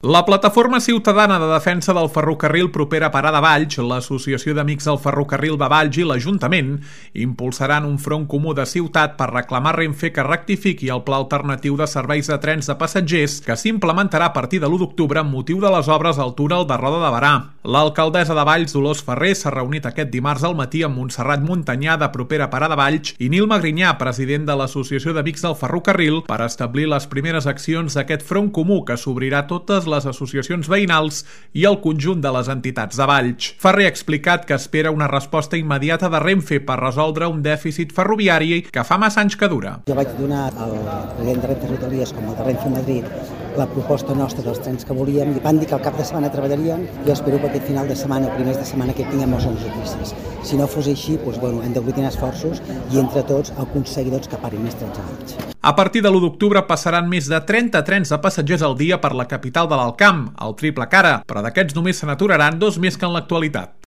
La Plataforma Ciutadana de Defensa del Ferrocarril propera Parada Valls, l'Associació d'Amics del Ferrocarril de Valls i l'Ajuntament impulsaran un front comú de ciutat per reclamar Renfe que rectifiqui el pla alternatiu de serveis de trens de passatgers que s'implementarà a partir de l'1 d'octubre amb motiu de les obres al túnel de Roda de Berà. L'alcaldessa de Valls, Dolors Ferrer, s'ha reunit aquest dimarts al matí amb Montserrat Montanyà de propera Parada Valls i Nil Magrinyà, president de l'Associació d'Amics del Ferrocarril, per establir les primeres accions d'aquest front comú que s'obrirà totes les associacions veïnals i el conjunt de les entitats de Valls. Ferrer ha explicat que espera una resposta immediata de Renfe per resoldre un dèficit ferroviari que fa massa anys que dura. Jo vaig donar al president de Renfe Rodalies com el de Renfe Madrid la proposta nostra dels trens que volíem i van dir que al cap de setmana treballarien. Jo espero que aquest final de setmana o primers de setmana que tinguem les notícies. Si no fos així, hem d'aglutinar esforços i entre tots aconseguir que parin més trens a Valls. A partir de l'1 d'octubre passaran més de 30 trens de passatgers al dia per la capital de l'Alt Camp, el triple cara, però d'aquests només se n'aturaran 2 més que en l'actualitat.